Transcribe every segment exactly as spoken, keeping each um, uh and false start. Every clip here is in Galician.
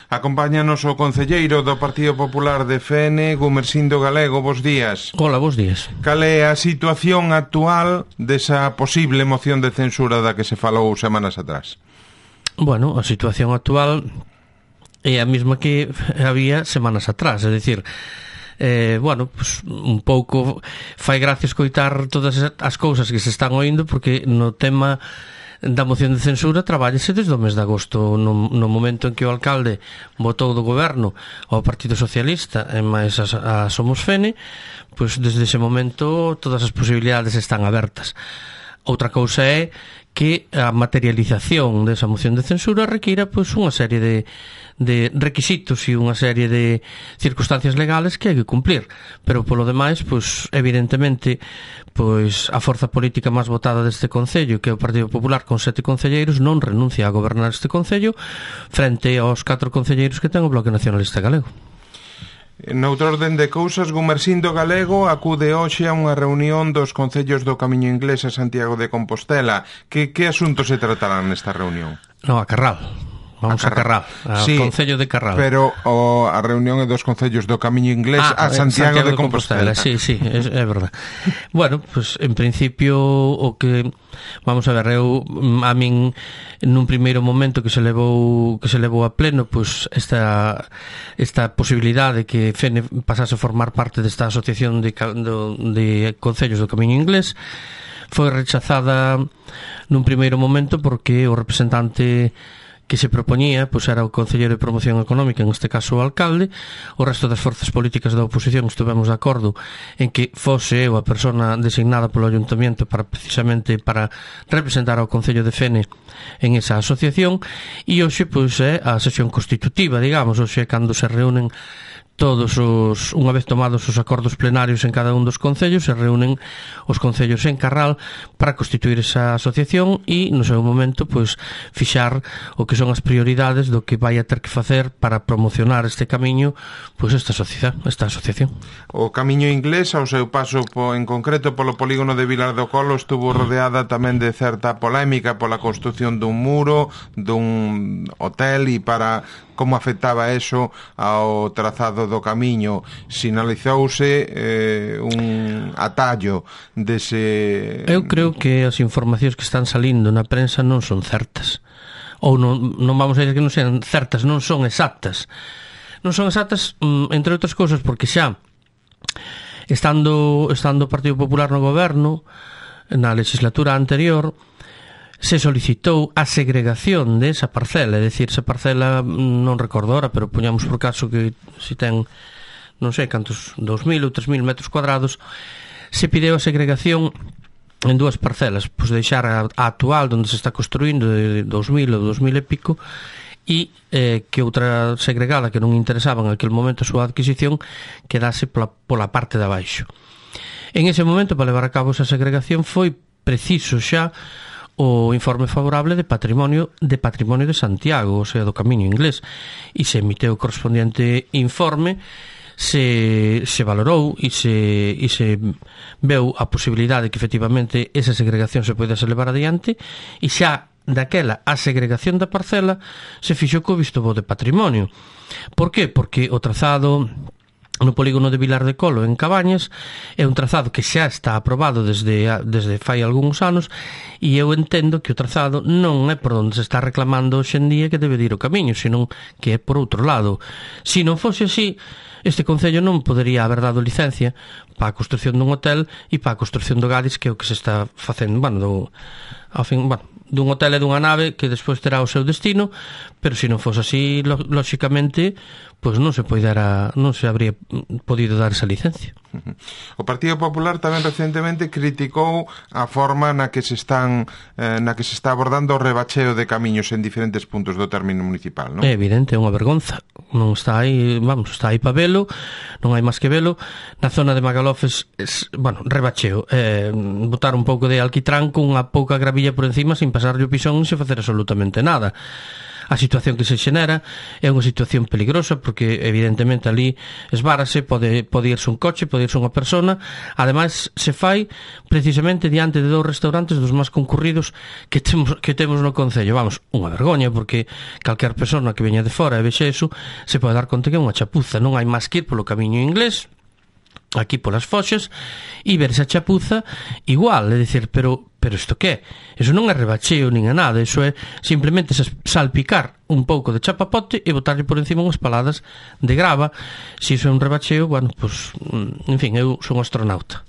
Acompáñanos o concelleiro do Partido Popular de Fene, Gumersindo Galego. Bos días. Hola, bos días. Cal é a situación actual desa posible moción de censura da que se falou semanas atrás? Bueno, a situación actual é a mesma que había semanas atrás, é dicir, eh, bueno, pues, un pouco fai gracia escoitar todas as cousas que se están oindo, porque no tema da moción de censura trabállese desde o mes de agosto, no, no momento en que o alcalde votou do goberno ao Partido Socialista e máis a, a Somos Fene, pois desde ese momento todas as posibilidades están abertas. Outra cousa é que a materialización desa moción de censura requira pois unha serie de, de requisitos e unha serie de circunstancias legales que hai que cumplir, pero polo demais, pois evidentemente, pois a forza política máis votada deste concello, que é o Partido Popular con sete concelleiros, non renuncia a gobernar este concello frente aos catro concelleiros que ten o Bloque Nacionalista Galego. Noutro orden de cousas, Gumersindo Galego acude hoxe a unha reunión dos concellos do Camiño Inglés a Santiago de Compostela. Que, que asuntos se tratarán nesta reunión? No, a Carral. Vamos a Carral, a sí, Concello de Carral. Pero o, a reunión é dos concellos do Camiño Inglés ah, a Santiago, Santiago de, de Compostela. Compostela. Sí, sí, é, é verdad. Bueno, pues en principio o que vamos a ver, eu a min nun primeiro momento que se levou que se levou a pleno, pues esta esta posibilidade de que Fene pasase a formar parte desta asociación de do, de concellos do Camiño Inglés foi rechazada nun primeiro momento porque o representante que se propoñía, pois era o Concelleiro de Promoción Económica, en este caso o alcalde. O resto das forzas políticas da oposición estivemos de acordo en que fose eu a persona designada polo Ayuntamiento para precisamente para representar ao Concello de Fene en esa asociación, e hoxe pois é a sesión constitutiva, digamos, hoxe é cando se reúnen todos os, unha vez tomados os acordos plenarios en cada un dos concellos, se reúnen os concellos en Carral para constituir esa asociación e no seu momento pois fixar o que son as prioridades do que vai a ter que facer para promocionar este camiño, pois esta sociedade, esta asociación. O Camiño Inglés, ao seu paso po, en concreto polo polígono de Vilar do Colo, estuvo rodeada tamén de certa polémica pola construción dun muro, dun hotel, e para como afectaba eso ao trazado do camiño. Sinalizouse eh, un atallo dese... Eu creo que as informacións que están salindo na prensa non son certas, ou non, non vamos a dizer que non sean certas, non son exactas. Non son exactas, entre outras cousas, porque xa estando, estando o Partido Popular no goberno na legislatura anterior se solicitou a segregación desa parcela, é dicir, esa parcela non recordo ahora, pero poñamos por caso que se ten non sei cantos, dous mil ou tres mil metros cuadrados, se pideu a segregación en dúas parcelas, pois deixar a, a actual onde se está construindo de dous mil ou dous mil e pico, e eh, que outra segregada que non interesaba en aquel momento a súa adquisición quedase pola, pola parte de abaixo. En ese momento, para levar a cabo esa segregación, foi preciso xa o informe favorable de patrimonio de patrimonio de Santiago, o sea, do Camiño Inglés, e se emiteu o correspondiente informe, se, se valorou e se, e se veu a posibilidade que efectivamente esa segregación se poidase levar adiante, e xa daquela a segregación da parcela se fixo co visto bo de patrimonio. Por que? Porque o trazado no polígono de Vilar de Colo, en Cabañas, é un trazado que xa está aprobado desde, desde fai algúns anos, e eu entendo que o trazado non é por onde se está reclamando hoxe en día que debe ir o camiño, senón que é por outro lado. Se non fose así, este concello non podería haber dado licencia para a construción dun hotel e para a construción do Gadis, que é o que se está facendo, bueno, do, ao fin, bueno, dun hotel e dunha nave que despois terá o seu destino, pero se non fose así, lóxicamente, pois non se poidera, non se habría podido dar esa licencia. O Partido Popular tamén recentemente criticou a forma na que se están eh, na que se está abordando o rebacheo de camiños en diferentes puntos do término municipal, non? É evidente, é unha vergonza. Non está aí, vamos, está aí para velo, non hai máis que velo. Na zona de Magalofes, es, bueno, rebacheo, eh, botar un pouco de alquitrán con unha pouca gravilla por encima sin pasarlle o pisón e sen facer absolutamente nada. a situación que se xenera é unha situación peligrosa porque evidentemente ali esvárase, pode, pode irse un coche, pode irse unha persona. Ademais se fai precisamente diante de dous restaurantes dos máis concurridos que temos, que temos no concello. Vamos, unha vergoña, porque calquer persona que veña de fora e vexe eso se pode dar conta que é unha chapuza. Non hai máis que ir polo camiño inglés, aquí polas Foxas, e ver esa chapuza igual, é dicir, pero pero isto que é? Eso non é rebacheo nin é nada, eso é simplemente salpicar un pouco de chapapote e botarlle por encima unhas paladas de grava. Se iso é un rebacheo, bueno, pues, en fin, eu son astronauta.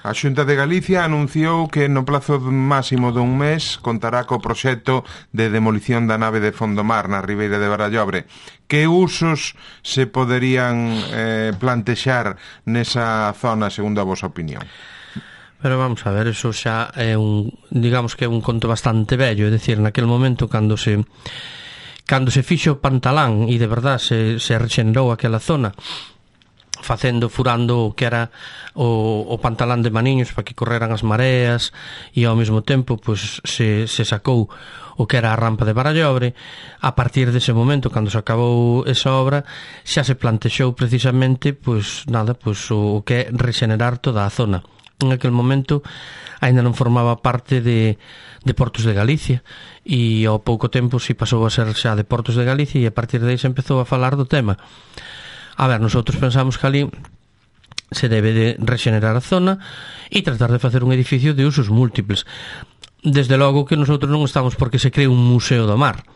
A Xunta de Galicia anunciou que no plazo máximo dun mes contará co proxecto de demolición da nave de Fondomar na Ribeira de Barallobre. Que usos se poderían eh, plantexar nesa zona, segundo a vosa opinión? Pero vamos a ver, eso xa é un, digamos que é un conto bastante vello, é dicir, naquele momento cando se cando se fixo Pantalán e de verdad se, se rexenerou aquela zona, facendo, furando o que era o, o Pantalán de Maniños para que correran as mareas, e ao mesmo tempo pues, se, se sacou o que era a rampa de Barallobre. A partir dese momento, cando se acabou esa obra, xa se plantexou precisamente pues, nada, pues, o, o que é rexenerar toda a zona. En aquel momento aínda non formaba parte de, de Portos de Galicia, e ao pouco tempo si pasou a ser xa de Portos de Galicia, e a partir de aí se empezou a falar do tema. A ver, nosotros pensamos que ali se debe de rexenerar a zona e tratar de facer un edificio de usos múltiples. Desde logo que nosotros non estamos porque se cree un museo do mar,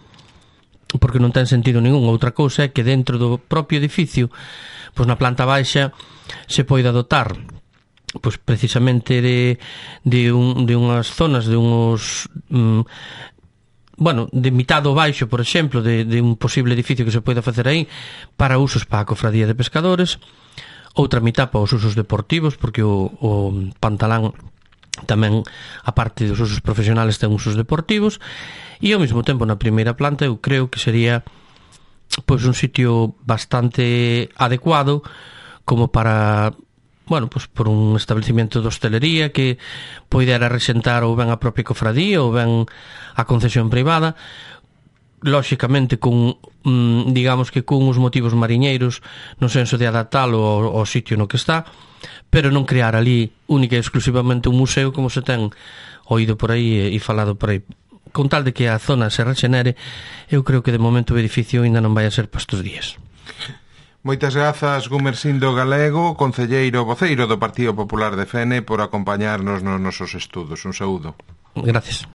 porque non ten sentido ningún. Outra cousa é que dentro do propio edificio, pois na planta baixa, se poida dotar pois precisamente de, de, un, de unhas zonas, de uns... Mm, bueno, de mitad do baixo, por exemplo, de, de un posible edificio que se poida facer aí para usos para a cofradía de pescadores, outra mitad para os usos deportivos, porque o, o Pantalán tamén, a parte dos usos profesionales, ten usos deportivos, e ao mesmo tempo na primeira planta eu creo que sería pois un sitio bastante adecuado como para... bueno, pues por un establecimiento de hostelería que poidera rexentar ou ben a propia cofradía ou ben a concesión privada, lóxicamente con, mm, digamos que con os motivos mariñeiros no senso de adaptalo ao, ao sitio no que está, pero non crear ali única e exclusivamente un museo como se ten oído por aí e, e falado por aí. Con tal de que a zona se rexenere, eu creo que de momento o edificio ainda non vai a ser para estes días. Moitas grazas, Gumersindo Galego, concelleiro voceiro do Partido Popular de Fene, por acompañarnos nos nosos estudos. Un saúdo. Gracias.